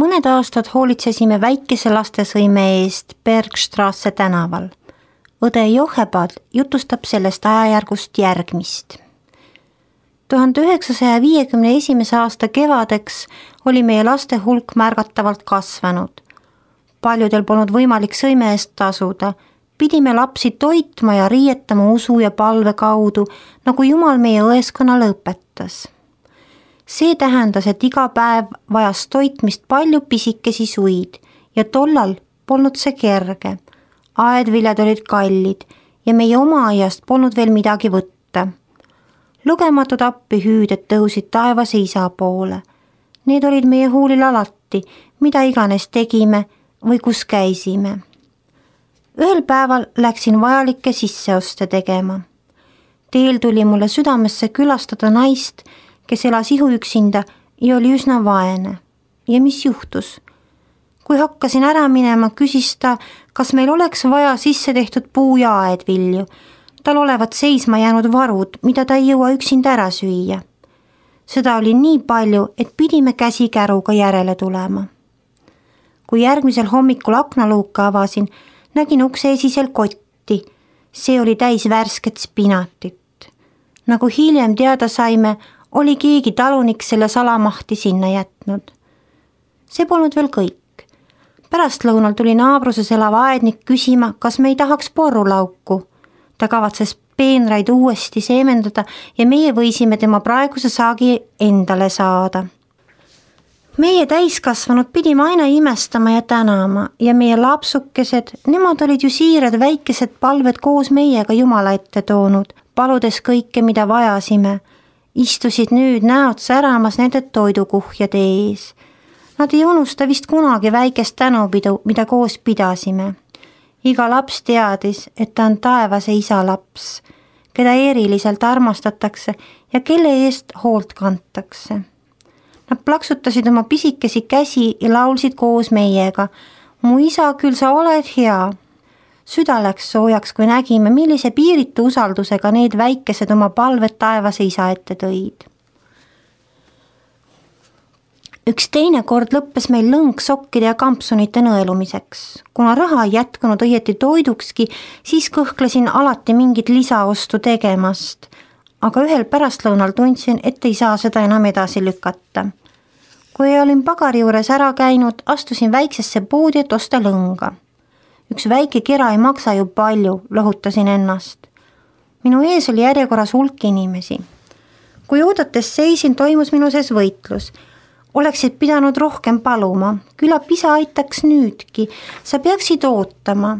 Mõned aastad hoolitsesime väikese lastesõime eest Bergstrasse tänaval. Õde Johebad jutustab sellest ajajärgust järgmist. 1951. aasta kevadeks oli meie laste hulk märgatavalt kasvanud. Paljudel polnud võimalik sõime eest tasuda. Pidime lapsi toitma ja riietama usu ja palve kaudu, nagu Jumal meie õeskonnale õpetas. See tähendas, et iga päev vajas toitmist palju pisikesi suid ja tollal polnud see kerge. Aedviljad olid kallid ja meie oma aiast polnud veel midagi võtta. Lugematud appihüüded tõusid taevase isa poole. Need olid meie huulil alati, mida iganes tegime või kus käisime. Ühel päeval läksin vajalikke sisseoste tegema. Teel tuli mulle südamesse külastada naist, kes elas ihuüksinda ja oli üsna vaene. Ja mis juhtus? Kui hakkasin ära minema, küsis ta, kas meil oleks vaja sisse tehtud puu- ja aedvilju. Tal olevat seisma jäänud varud, mida ta ei jõua üksinda ära süüa. Seda oli nii palju, et pidime käsikäruga järele tulema. Kui järgmisel hommikul aknaluuka avasin, nägin ukse esisel kotti. See oli täis värsket spinatit. Nagu hiljem teada saime, oli keegi talunik selle salamahti sinna jätnud. See polnud veel kõik. Pärastlõunal tuli naabruses elav aednik küsima, kas me ei tahaks porrulauku. Ta kavatses peenraid uuesti seemendada ja meie võisime tema praeguse saagi endale saada. Meie täiskasvanud pidime aina imestama ja tänama ja meie lapsukesed, nemad olid ju siirad väikesed palved koos meiega Jumala ette toonud, paludes kõike, mida vajasime. Istusid nüüd näod säramas nende toidukuhjade ees. Nad ei unusta vist kunagi väikest tänupidu, mida koos pidasime. Iga laps teadis, et ta on taevase isa laps, keda eriliselt armastatakse ja kelle eest hoolt kantakse. Nad plaksutasid oma pisikesi käsi ja laulsid koos meiega. Mu isa, küll sa oled hea. Süda läks soojaks, kui nägime, millise piiritu usaldusega need väikesed oma palved taevase isa ette tõid. Üks teine kord lõppes meil lõng sokkide ja kampsunite nõelumiseks. Kuna raha ei jätkunud õieti toidukski, siis kõhklesin alati mingit lisaostu tegemast. Aga ühel pärastlõunal tundsin, et ei saa seda enam edasi lükata. Kui olin pagari juures ära käinud, astusin väiksesse poodi, et osta lõnga. Üks väike kera ei maksa ju palju, lohutasin ennast. Minu ees oli järjekorras hulk inimesi. Kui oodates seisin, toimus minu sees võitlus. Oleksid pidanud rohkem paluma, küllap isa aitaks nüüdki, sa peaksid ootama.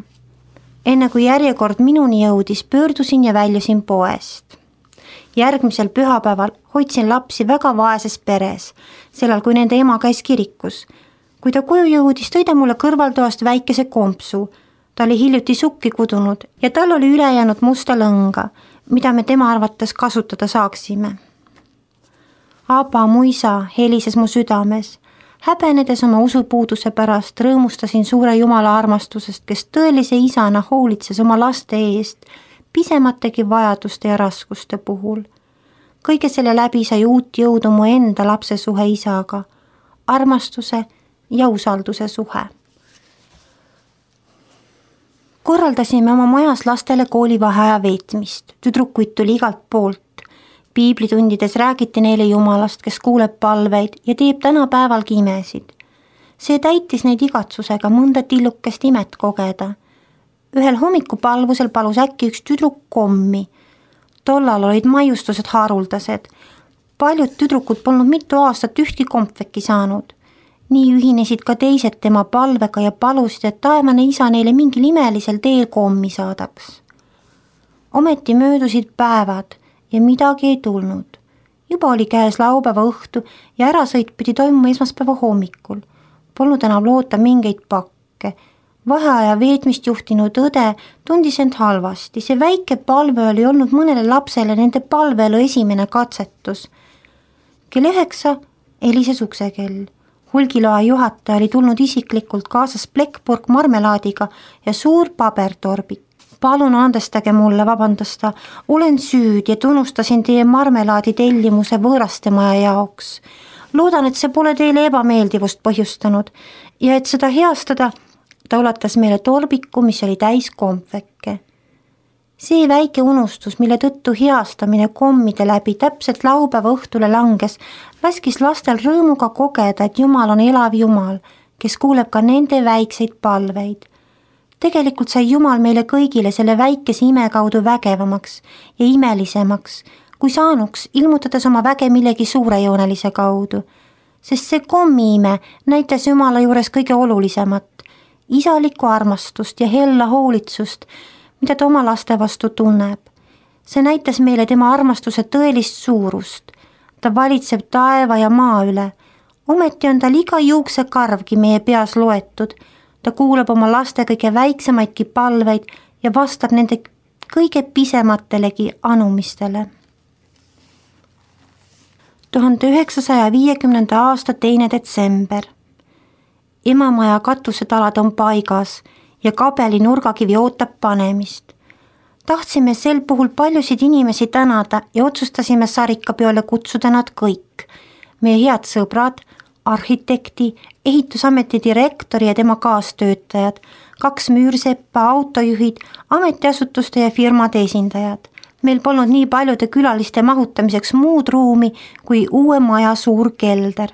Enne kui järjekord minuni jõudis, pöördusin ja väljusin poest. Järgmisel pühapäeval hoidsin lapsi väga vaeses peres, sellal kui nende ema käis kirikus. Kui ta koju jõudis, tõi ta mulle kõrvaltoast väikese kompsu. Ta oli hiljuti sukki kudunud ja tal oli ülejäänud musta lõnga, mida me tema arvates kasutada saaksime. Aba, mu isa, helises mu südames. Häbenedes oma usupuuduse pärast rõõmustasin suure Jumala armastusest, kes tõelise isana hoolitses oma laste eest, pisemategi vajaduste ja raskuste puhul. Kõige selle läbi sai uut jõudu mu enda lapse suhe isaga, armastuse ja usalduse suhe. Korraldasime oma majas lastele koolivaheaja veetmist, tüdrukuid tuli igalt poolt. Piiblitundides räägiti neile Jumalast, kes kuuleb palveid ja teeb tänapäevalgi imesid. See täitis neid igatsusega mõnda tillukest imet kogeda. Ühel hommikupalvusel palus äkki üks tüdruk kommi. Tollal olid maiustused haruldased. Paljud tüdrukud polnud mitu aastat ühtki kompveki saanud. Nii ühinesid ka teised tema palvega ja palusid, et taevane isa neile mingil imelisel teel kommi saadaks. Ometi möödusid päevad ja midagi ei tulnud. Juba oli käes laupäeva õhtu ja ärasõit pidi toimuma esmaspäeva hommikul. Polnud enam loota mingeid pakke. Vaheaja veetmist juhtinud õde tundis end halvasti. See väike palve oli olnud mõnele lapsele nende palveelu esimene katsetus. Kell 9 helises uksekell. Hulgiloa juhataja oli tulnud isiklikult kaasas plekkpurk marmelaadiga ja suur pabertorbik. Palun andestage mulle, vabandas ta, olen süüd ja tunnustasin teie marmelaadi tellimuse võõrastemaja jaoks. Loodan, et see pole teile ebameeldivust põhjustanud ja et seda heastada, ta ulatas meile torbiku, mis oli täis kompvekke. See väike unustus, mille tõttu heastamine kommide läbi täpselt laupäeva õhtule langes, laskis lastel rõõmuga kogeda, et Jumal on elav Jumal, kes kuuleb ka nende väikseid palveid. Tegelikult sai Jumal meile kõigile selle väikese ime kaudu vägevamaks ja imelisemaks, kui saanuks, ilmutades oma väge millegi suurejoonelise kaudu. Sest see kommiime näitas Jumala juures kõige olulisemat, isalikku armastust ja hella hoolitsust, mida ta oma laste vastu tunneb. See näitas meile tema armastuse tõelist suurust. Ta valitseb taeva ja maa üle. Ometi on tal iga juuksekarvgi meie peas loetud. Ta kuulab oma laste kõige väiksemaidki palveid ja vastab nende kõige pisematelegi anumistele. 1950. aasta 2. detsember. Emamaja katusetalad on paigas ja kabeli nurgakivi ootab panemist. Tahtsime sel puhul paljusid inimesi tänada ja otsustasime sarikapeole kutsuda nad kõik. Meie head sõbrad, arhitekti, ehitusameti direktori ja tema kaastöötajad, 2 müürseppa, autojuhid, ametiasutuste ja firmade esindajad. Meil polnud nii paljude külaliste mahutamiseks muud ruumi kui uue maja suur kelder.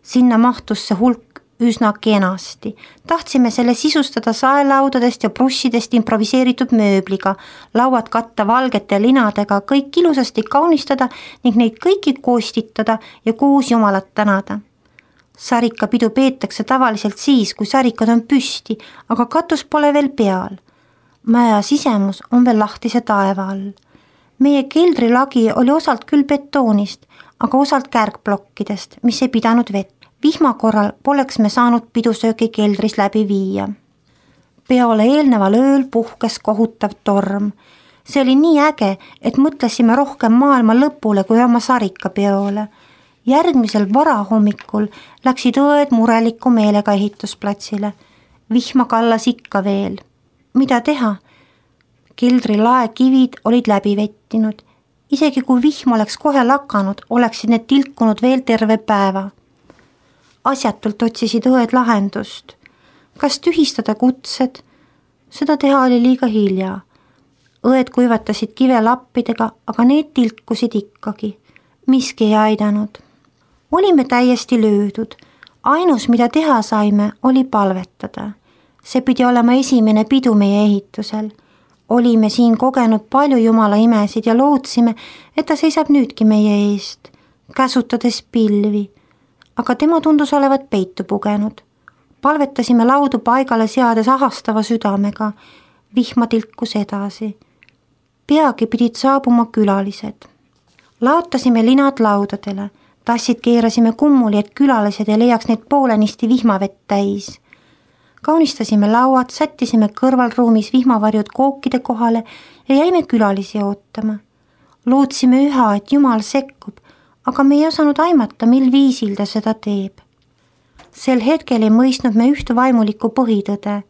Sinna mahtus see hulk üsna kenasti. Tahtsime selle sisustada saelaudadest ja brussidest improviseeritud mööbliga, lauad katta valgete linadega, kõik ilusasti kaunistada ning neid kõiki koostitada ja koos Jumalat tänada. Sarikapidu peetakse tavaliselt siis, kui sarikad on püsti, aga katus pole veel peal. Maja sisemus on veel lahtise taeva all. Meie keldrilagi oli osalt küll betoonist, aga osalt kärgplokkidest, mis ei pidanud vett. Vihma korral poleks me saanud pidusöögi keldris läbi viia. Peole eelneval ööl puhkes kohutav torm. See oli nii äge, et mõtlesime rohkem maailma lõpule kui oma sarikapeole. Järgmisel varahommikul läksid õed mureliku meelega ehitusplatsile. Vihma kallas ikka veel. Mida teha? Keldri laekivid olid läbi vettinud. Isegi kui vihm oleks kohe lakanud, oleksid need tilkunud veel terve päeva. Asjatult otsisid õed lahendust. Kas tühistada kutsed? Seda teha oli liiga hilja. Õed kuivatasid kive lappidega, aga need tilkusid ikkagi. Miski ei aidanud. Olime täiesti löödud. Ainus, mida teha saime, oli palvetada. See pidi olema esimene pidu meie ehitusel. Olime siin kogenud palju Jumala imesid ja lootsime, et ta seisab nüüdki meie eest, käsutades pilvi. Aga tema tundus olevat peitu pugenud. Palvetasime laudu paigale seades ahastava südamega. Vihma tilkus edasi. Peagi pidid saabuma külalised. Laotasime linad laudadele. Tassid keerasime kummuli, et külalised ei leiaks neid poolenisti vihmavett täis. Kaunistasime lauad, sättisime kõrvalruumis vihmavarjud kookide kohale ja jäime külalisi ootama. Lootsime üha, et Jumal sekkub, aga me ei osanud aimata, mil viisil ta seda teeb. Sel hetkel ei mõistnud me üht vaimulikku põhitõde.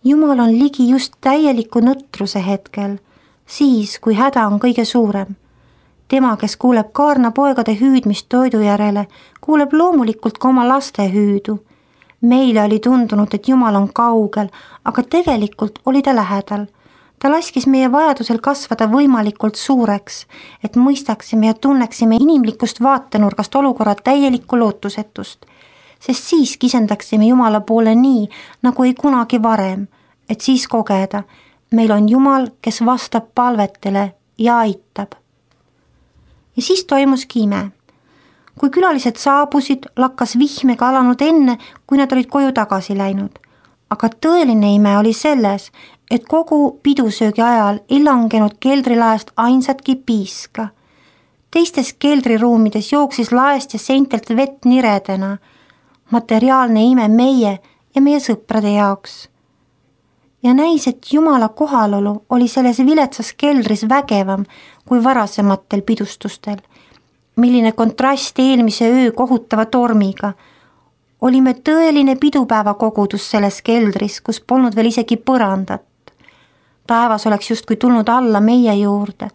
Jumal on ligi just täieliku nõtruse hetkel, siis kui häda on kõige suurem. Tema, kes kuuleb kaarnapoegade hüüdmist toidu järele, kuuleb loomulikult ka oma laste hüüdu. Meile oli tundunud, et Jumal on kaugel, aga tegelikult oli ta lähedal. Ta laskis meie vajadusel kasvada võimalikult suureks, et mõistaksime ja tunneksime inimlikust vaatenurgast olukorra täielikku lootusetust, sest siis kisendaksime Jumala poole nii, nagu ei kunagi varem, et siis kogeda, meil on Jumal, kes vastab palvetele ja aitab. Ja siis toimuski ime. Kui külalised saabusid, lakkas vihm ega alanud enne, kui nad olid koju tagasi läinud. Aga tõeline ime oli selles, et kogu pidusöögi ajal ei langenud keldrilaest ainsatki piiska. Teistes keldriruumides jooksis laest ja seintelt vett niredena. Materiaalne ime meie ja meie sõprade jaoks. Ja näis, et Jumala kohalolu oli selles viletsas keldris vägevam kui varasematel pidustustel. Milline kontrast eelmise öö kohutava tormiga. Olime tõeline pidupäeva kogudus selles keldris, kus polnud veel isegi põrandat. Taevas oleks justkui tulnud alla meie juurde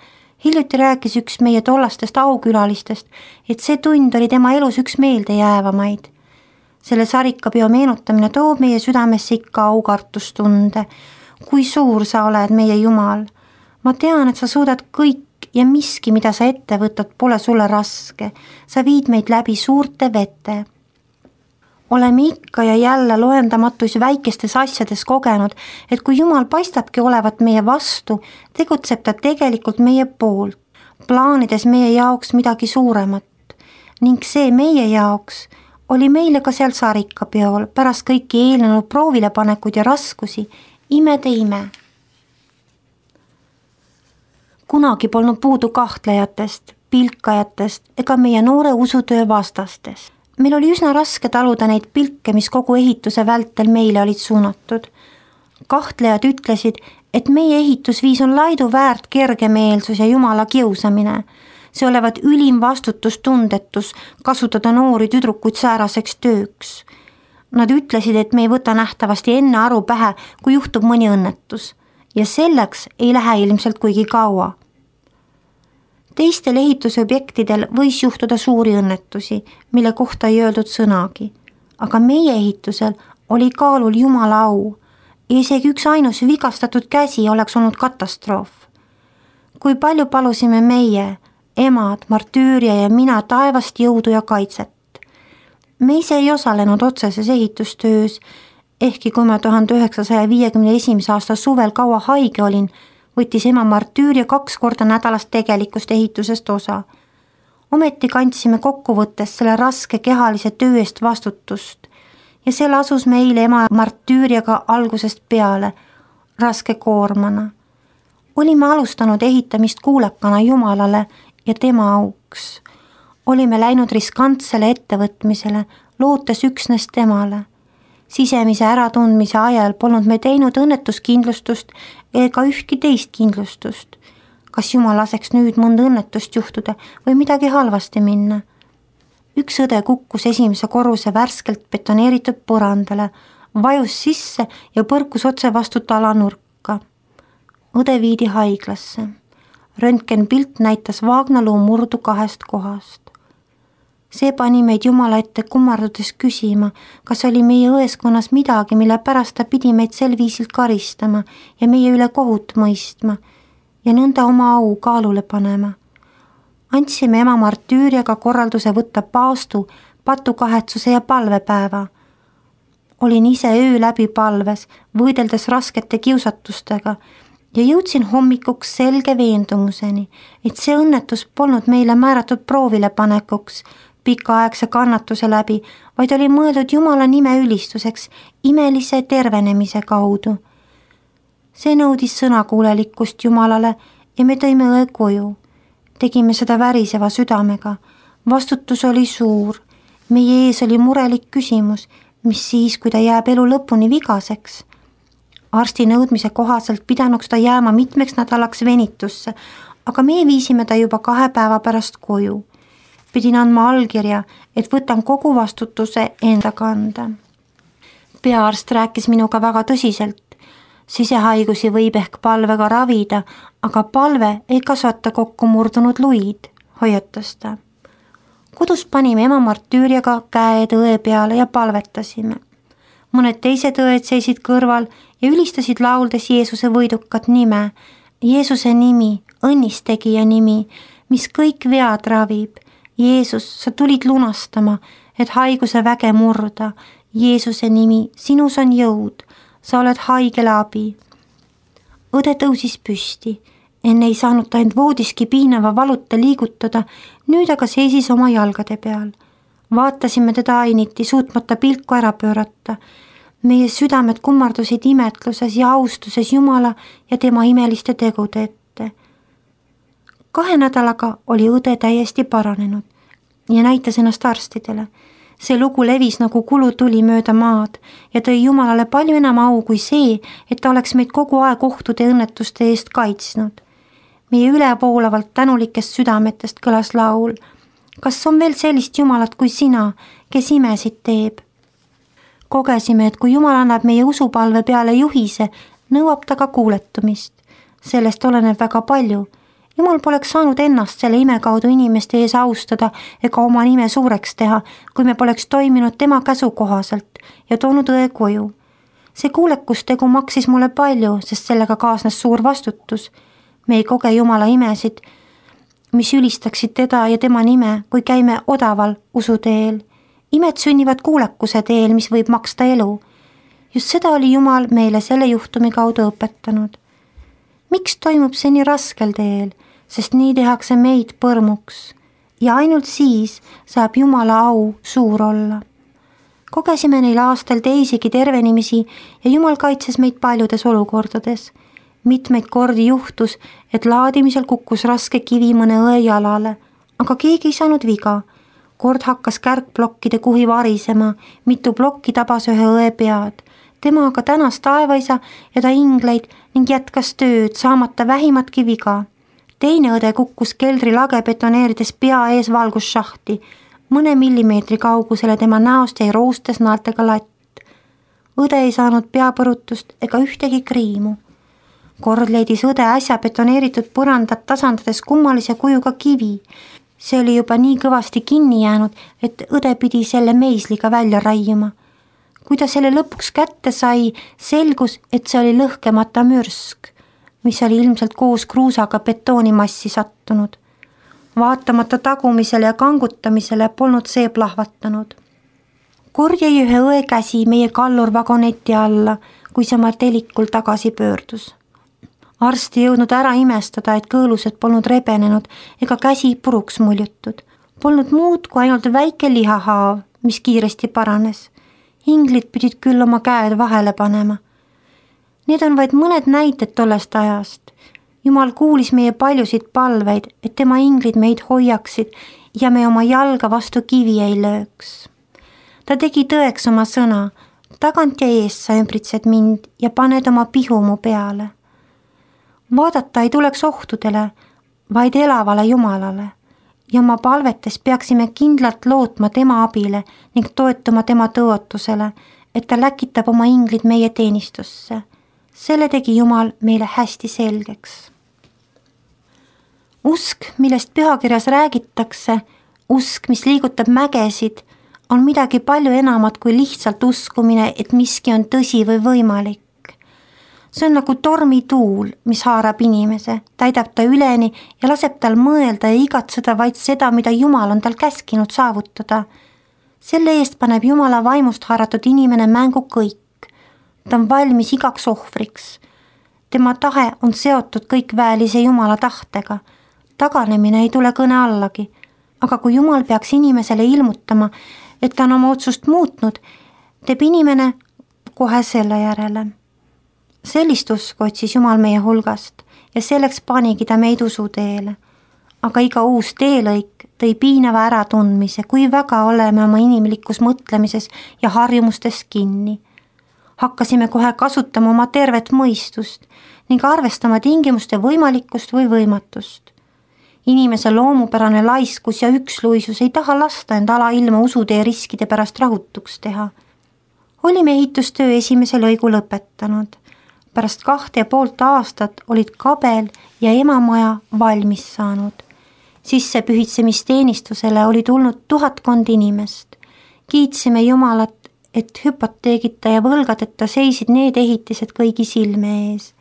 Hiljuti rääkis üks meie tollastest aukülalistest, et see tund oli tema elus üks meeldejäävamaid. Selle sarikapeo meenutamine toob meie südamesse ikka aukartustunde. Kui suur sa oled, meie Jumal. Ma tean, et sa suudad kõik ja miski, mida sa ette võtad, pole sulle raske. Sa viid meid läbi suurte vete. Oleme ikka ja jälle loendamatus väikestes asjades kogenud, et kui Jumal paistabki olevat meie vastu, tegutseb ta tegelikult meie poolt, plaanides meie jaoks midagi suuremat. Ning see meie jaoks oli meile ka seal sarikapeol pärast kõiki eelnenud proovilepanekuid ja raskusi, imede ime. Kunagi polnud puudu kahtlejatest, pilkajatest ega meie noore usutöö vastastest. Meil oli üsna raske taluda neid pilke, mis kogu ehituse vältel meile olid suunatud. Kahtlejad ütlesid, et meie ehitusviis on laidu väärt kergemeelsus ja Jumala kiusamine. See olevat ülim vastutustundetus kasutada noori tüdrukuid sääraseks tööks. Nad ütlesid, et me ei võta nähtavasti enne aru pähe, kui juhtub mõni õnnetus. Ja selleks ei lähe ilmselt kuigi kaua. Teistel ehitusobjektidel võis juhtuda suuri õnnetusi, mille kohta ei öeldud sõnagi. Aga meie ehitusel oli kaalul Jumala au ja isegi üks ainus vigastatud käsi oleks olnud katastroof. Kui palju palusime meie, emad, Martüüria ja mina taevast jõudu ja kaitset. Me ise ei osalenud otseses ehitustöös, ehkki kui ma 1951. aasta suvel kaua haige olin, võttis ema Martüüria 2 korda nädalast tegelikust ehitusest osa. Ometi kandsime kokkuvõttes selle raske kehalise töö eest vastutust ja see lasus meile ema Martüüriaga algusest peale, raske koormana. Olime alustanud ehitamist kuulekana Jumalale ja tema auks. Olime läinud riskantsele ettevõtmisele, lootes üksnes temale. Sisemise äratundmise ajal polnud me teinud õnnetuskindlustust ega ühtki teist kindlustust. Kas Jumal laseks nüüd mõnda õnnetust juhtuda või midagi halvasti minna? Üks õde kukkus esimese korruse värskelt betoneeritud põrandale, vajus sisse ja põrkus otse vastu talanurka. Õde viidi haiglasse. Röntgenpilt näitas vaagnaluu murdu 2 kohast. See pani meid Jumala ette kummardudes küsima, kas oli meie õeskonnas midagi, mille pärast ta pidi meid sel viisil karistama ja meie üle kohut mõistma ja nõnda oma au kaalule panema. Andsime ema Martüüriaga korralduse võtta paastu, patukahetsuse ja palvepäeva. Olin ise öö läbi palves, võideldes raskete kiusatustega ja jõudsin hommikuks selge veendumuseni, et see õnnetus polnud meile määratud proovilepanekuks, pikaaegse kannatuse läbi, vaid oli mõeldud Jumala nime ülistuseks imelise tervenemise kaudu. See nõudis sõnakuulelikkust Jumalale ja me tõime õe koju. Tegime seda väriseva südamega. Vastutus oli suur. Meie ees oli murelik küsimus, mis siis, kui ta jääb elu lõpuni vigaseks. Arsti nõudmise kohaselt pidanuks ta jääma mitmeks nädalaks venitusse, aga me viisime ta juba 2 päeva pärast koju. Pidin andma allkirja, et võtan kogu vastutuse enda kanda. Peaarst rääkis minuga väga tõsiselt. Sisehaigusi võib ehk palvega ravida, aga palve ei kasvata kokku murdunud luid, hoiatas ta. Kodus panime ema Martüüriaga käed õe peale ja palvetasime. Mõned teised õed seisid kõrval ja ülistasid lauldes Jeesuse võidukat nime. Jeesuse nimi, õnnistegija nimi, mis kõik vead ravib. Jeesus, sa tulid lunastama, et haiguse väge murda. Jeesuse nimi, sinus on jõud, sa oled haigele abi. Õde tõusis püsti, enne ei saanud ta end voodiski piinava valuta liigutada, nüüd aga seisis oma jalgade peal. Vaatasime teda ainiti, suutmata pilku ära pöörata. Meie südamed kummardusid imetluses ja austuses Jumala ja tema imeliste tegude ette. 2 nädalaga oli õde täiesti paranenud ja näitas ennast arstidele. See lugu levis nagu kulutuli mööda maad ja tõi Jumalale palju enam au kui see, et ta oleks meid kogu aeg ohtude ja õnnetuste eest kaitsnud. Meie ülevoolavalt tänulikest südametest kõlas laul. Kas on veel sellist Jumalat kui sina, kes imesid teeb? Kogesime, et kui Jumal annab meie usupalve peale juhise, nõuab ta ka kuuletumist. Sellest oleneb väga palju. Jumal poleks saanud ennast selle ime kaudu inimeste ees austada ega oma nime suureks teha, kui me poleks toiminud tema käsu kohaselt ja toonud õe koju. See kuulekustegu maksis mulle palju, sest sellega kaasnes suur vastutus. Me ei koge Jumala imesid, mis ülistaksid teda ja tema nime, kui käime odaval usuteel. Imed sünnivad kuulekuse teel, mis võib maksta elu. Just seda oli Jumal meile selle juhtumi kaudu õpetanud. Miks toimub see nii raskel teel? Sest nii tehakse meid põrmuks ja ainult siis saab Jumala au suur olla. Kogesime neil aastal teisigi tervenimisi ja Jumal kaitses meid paljudes olukordades. Mitmeid kordi juhtus, et laadimisel kukkus raske kivi mõne õe jalale, aga keegi ei saanud viga. Kord hakkas kärgplokkide kuhi varisema, mitu plokki tabas ühe õe pead. Tema aga tänas taevaisa ja ta ingleid ning jätkas tööd, saamata vähimatki viga. Teine õde kukkus keldri lage betoneerides pea ees valgusšahti. Mõne millimeetri kaugusele tema näost jäi roostes naeltega latt. Õde ei saanud peapõrutust ega ühtegi kriimu. Kord leidis õde äsja betoneeritud põrandat tasandades kummalise kujuga kivi. See oli juba nii kõvasti kinni jäänud, et õde pidi selle meisliga välja raiuma. Kui ta selle lõpuks kätte sai, selgus, et see oli lõhkemata mürsk, mis oli ilmselt koos kruusaga betoonimassi sattunud. Vaatamata tagumisele ja kangutamisele polnud see plahvatanud. Kord jäi ühe õe käsi meie kallurvagoneti alla, kui see martelikul tagasi pöördus. Arsti jõudnud ära imestada, et kõõlused polnud rebenenud ega käsi puruks muljutud. Polnud muud kui ainult väike lihahaav, mis kiiresti paranes. Inglid pidid küll oma käed vahele panema. Need on vaid mõned näited tollest ajast. Jumal kuulis meie paljusid palveid, et tema inglid meid hoiaksid ja me oma jalga vastu kivi ei lööks. Ta tegi tõeks oma sõna, tagant ja ees sa ümbritsed mind ja paned oma pihu mu peale. Vaadata ei tuleks ohtudele, vaid elavale Jumalale ja oma palvetes peaksime kindlalt lootma tema abile ning toetuma tema tõotusele, et ta läkitab oma inglid meie teenistusse. Selle tegi Jumal meile hästi selgeks. Usk, millest pühakirjas räägitakse, usk, mis liigutab mägesid, on midagi palju enamat kui lihtsalt uskumine, et miski on tõsi või võimalik. See on nagu tormituul, mis haarab inimese, täidab ta üleni ja laseb tal mõelda ja igatseda vaid seda, mida Jumal on tal käskinud saavutada. Selle eest paneb Jumala vaimust haaratud inimene mängu kõik. Ta on valmis igaks ohvriks. Tema tahe on seotud kõikväelise Jumala tahtega. Taganemine ei tule kõne allagi, aga kui Jumal peaks inimesele ilmutama, et ta on oma otsust muutnud, teeb inimene kohe selle järele. Sellist usku otsis Jumal meie hulgast ja selleks panigi ta meid usuteele. Aga iga uus teelõik tõi piinava äratundmise, kui väga oleme oma inimlikus mõtlemises ja harjumustes kinni. Hakkasime kohe kasutama oma tervet mõistust ning arvestama tingimuste võimalikkust või võimatust. Inimese loomupärane laiskus ja üksluisus ei taha lasta end alailma usutee riskide pärast rahutuks teha. Olime ehitustöö esimese lõigu lõpetanud. Pärast 2,5 aastat olid kabel ja emamaja valmis saanud. Sissepühitsemisteenistusele oli tulnud 1000 inimest. Kiitsime Jumalat, et hüpoteegita ja võlgadeta seisid need ehitised kõigi silme ees.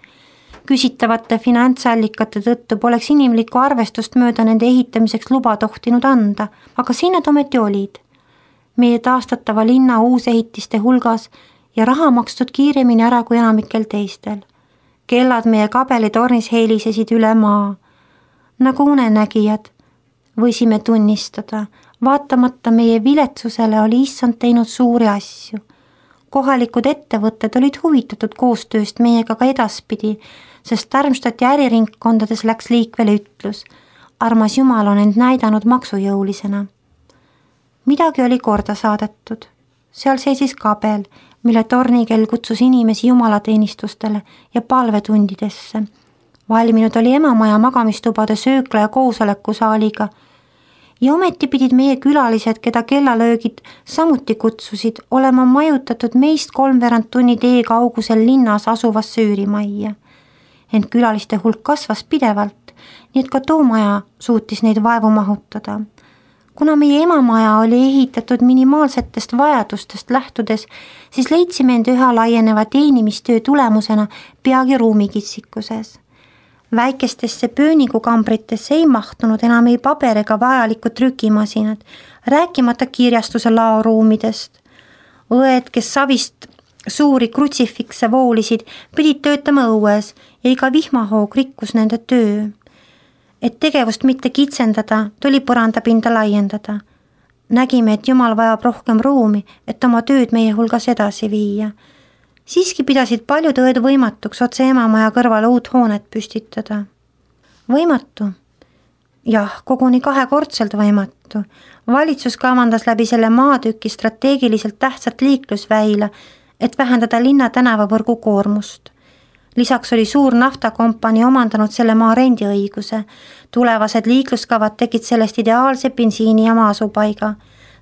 Küsitavate finantsallikate tõttu poleks inimlikku arvestust mööda nende ehitamiseks luba tohtinud anda, aga siin nad ometi olid. Meie taastatava linna uusehitiste hulgas ja raha makstud kiiremini ära kui enamikel teistel. Kellad meie kabelitornis heelisesid üle maa. Nagu unenägijad võisime tunnistada, vaatamata meie viletsusele oli Issand teinud suuri asju. Kohalikud ettevõtted olid huvitatud koostööst meiega ka edaspidi, sest Darmstadti äriringkondades läks liikvele ütlus. Armas Jumal on end näidanud maksujõulisena. Midagi oli korda saadetud. Seal seisis kabel, mille tornikell kutsus inimesi jumalateenistustele ja palvetundidesse. Valminud oli emamaja magamistubade söökla ja koosolekusaaliga. Ja ometi pidid meie külalised, keda kellalöögid samuti kutsusid, olema majutatud meist 3/4 tunni tee kaugusel linnas asuvasse üürimajja. Ent külaliste hulk kasvas pidevalt nii et ka too maja suutis neid vaevu mahutada. Kuna meie emamaja oli ehitatud minimaalsetest vajadustest lähtudes, siis leidsime end üha laieneva teenimistöö tulemusena peagi ruumikitsikuses. Väikestesse pööningukambritesse ei mahtunud enam ei paber ega vajalikud trükimasinad, rääkimata kirjastuse laoruumidest. Õed, kes savist suuri krutsifikse voolisid, pidid töötama õues ja iga vihmahoog rikkus nende töö. Et tegevust mitte kitsendada, tuli põrandapinda laiendada. Nägime, et Jumal vajab rohkem ruumi, et oma tööd meie hulgas edasi viia. Siiski pidasid paljud õed võimatuks otse emamaja kõrvale uut hoonet püstitada. Võimatu? Jah, koguni 2-kordselt võimatu. Valitsus kavandas läbi selle maatüki strateegiliselt tähtsat liiklusväila, et vähendada linna tänavavõrgu koormust. Lisaks oli suur naftakompanii omandanud selle maa rendiõiguse. Tulevased liikluskavad tegid sellest ideaalse bensiini ja maasupaiga.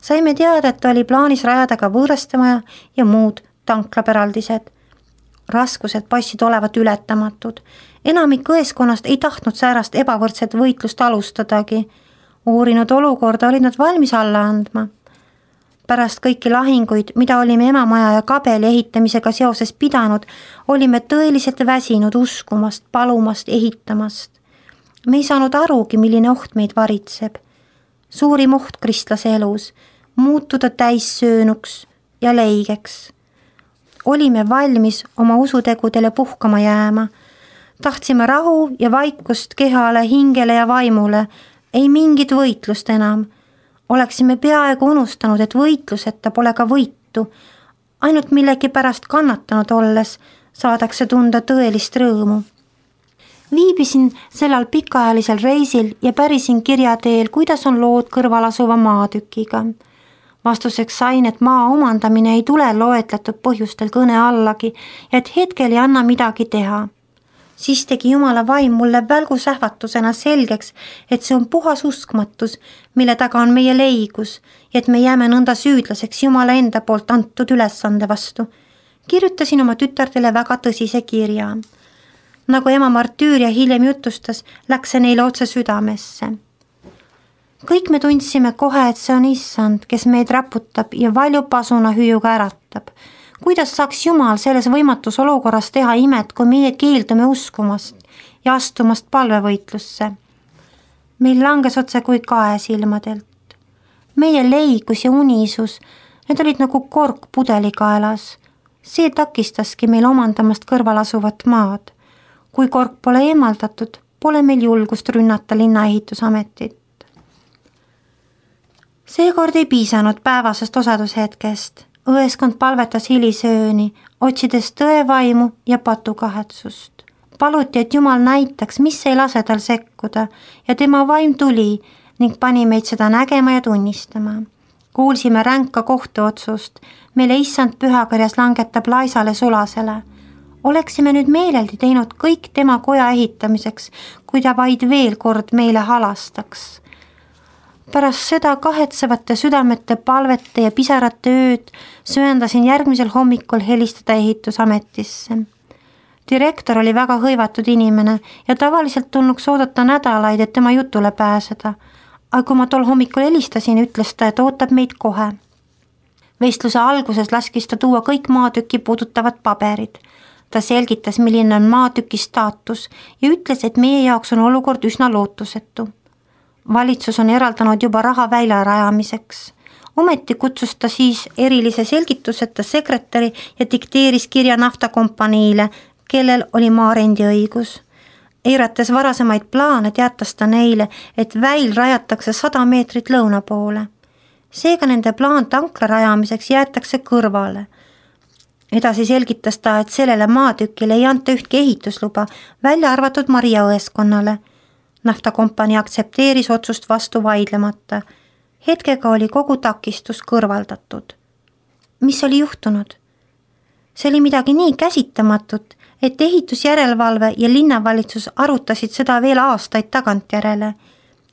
Saime teada, et oli plaanis rajada ka võõrastemaja ja muud tanklapäraldised. Raskused paistsid olevat ületamatud. Enamik õeskonnast ei tahtnud säärast ebavõrdset võitlust alustadagi. Uurinud olukorda olid nad valmis alla andma. Pärast kõiki lahinguid, mida olime emamaja ja kabeli ehitamisega seoses pidanud, olime tõeliselt väsinud uskumast, palumast, ehitamast. Me ei saanud arugi, milline oht meid varitseb. Suurim oht kristlase elus, muutuda täissöönuks ja leigeks. Olime valmis oma usutegudele puhkama jääma. Tahtsime rahu ja vaikust kehale, hingele ja vaimule, ei mingit võitlust enam. Oleksime peaaegu unustanud, et võitluseta pole ka võitu. Ainult millegi pärast kannatanud olles saadakse tunda tõelist rõõmu. Viibisin sellal pikaajalisel reisil ja pärisin kirja teel, kuidas on lood kõrval asuva maatükiga. Vastuseks sain, et maa omandamine ei tule loetletud põhjustel kõne allagi ja et hetkel ei anna midagi teha. Siis tegi Jumala vaim mulle välgusähvatusena selgeks, et see on puhas uskmatus, mille taga on meie leigus ja et me jääme nõnda süüdlaseks Jumala enda poolt antud ülesande vastu. Kirjutasin oma tütardele väga tõsise kirja. Nagu ema martüüria hiljem jutustas, läks see neile otse südamesse. Kõik me tundsime kohe, et see on issand, kes meid raputab ja valjupasuna hüüuga äratab. Kuidas saaks Jumal selles võimatus olukorras teha imet, kui meie keeldume uskumast ja astumast palvevõitlusse? Meil langes otse kui kae silmadelt. Meie leigus ja unisus, need olid nagu kork pudelikaelas. See takistaski meil omandamast kõrval asuvat maad. Kui kork pole eemaldatud, pole meil julgust rünnata linnaehitusametit. Seekord ei piisanud päevasest osadushetkest. Õeskond palvetas hilisööni, otsides tõevaimu ja patukahetsust. Paluti, et Jumal näitaks, mis ei lase tal sekkuda ja tema vaim tuli ning pani meid seda nägema ja tunnistama. Kuulsime ränka kohtuotsust, mille issand pühakarjas langetab laisale sulasele. Oleksime nüüd meeleldi teinud kõik tema koja ehitamiseks, kui ta vaid veel kord meile halastaks. Pärast seda kahetsevate südamete palvete ja pisarate ööd sööndasin järgmisel hommikul helistada ehitusametisse. Direktor oli väga hõivatud inimene ja tavaliselt tulnuks oodata nädalaid, et tema jutule pääseda. Aga kui ma tol hommikul helistasin, ütles ta, et ootab meid kohe. Vestluse alguses laskis ta tuua kõik maatüki puudutavad paberid. Ta selgitas, milline on maatüki staatus ja ütles, et meie jaoks on olukord üsna lootusetu. Valitsus on eraldanud juba raha väila rajamiseks. Ometi kutsus ta siis erilise selgituseta sekretäri ja dikteeris kirja naftakompaniile, kellel oli maa rendiõigus. Eirates varasemaid plaane teatas ta neile, et väil rajatakse 100 meetrit lõuna poole. Seega nende plaan tankla rajamiseks jäetakse kõrvale. Edasi selgitas ta, et sellele maatükile ei anta ühtki ehitusluba, välja arvatud Maria õeskonnale. Naftakompanii aktsepteeris otsust vastu vaidlemata. Hetkega oli kogu takistus kõrvaldatud. Mis oli juhtunud? See oli midagi nii käsitamatut, et ehitusjärelevalve ja linnavalitsus arutasid seda veel aastaid tagantjärele.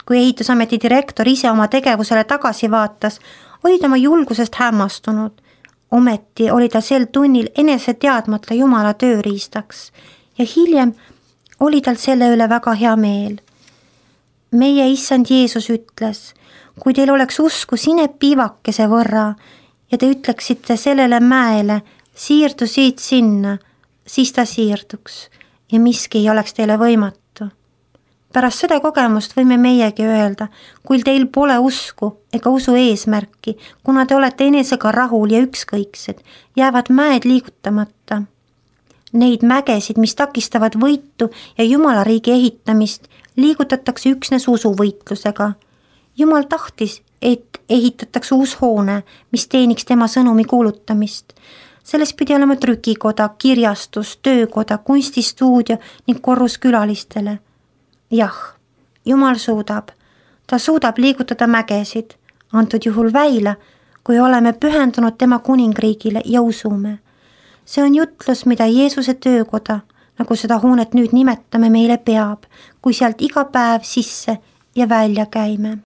Kui ehitusameti direktor ise oma tegevusele tagasi vaatas, oli tema julgusest hämmastunud. Ometi oli ta sel tunnil enese teadmata Jumala tööriistaks ja hiljem oli tal selle üle väga hea meel. meie issand Jeesus ütles, kui teil oleks usku sinepiivakese võrra ja te ütleksite sellele mäele, siirdu siit sinna, siis ta siirduks ja miski ei oleks teile võimatu. Pärast seda kogemust võime meiegi öelda, kui teil pole usku ega usu eesmärki, kuna te olete enesega rahul ja ükskõiksed, jäävad mäed liigutamata. Neid mägesid, mis takistavad võitu ja Jumala riigi ehitamist, liigutatakse üksnes usuvõitlusega. Jumal tahtis, et ehitatakse uus hoone, mis teeniks tema sõnumi kuulutamist. Selles pidi olema trükikoda, kirjastus, töökoda, kunstistuudio ning korrus külalistele. Jah, Jumal suudab. Ta suudab liigutada mägesid, antud juhul väila, kui oleme pühendunud tema kuningriigile ja usume. See on jutlus, mida Jeesuse töökoda, nagu seda hoonet nüüd nimetame, meile peab, kui sealt iga päev sisse ja välja käime.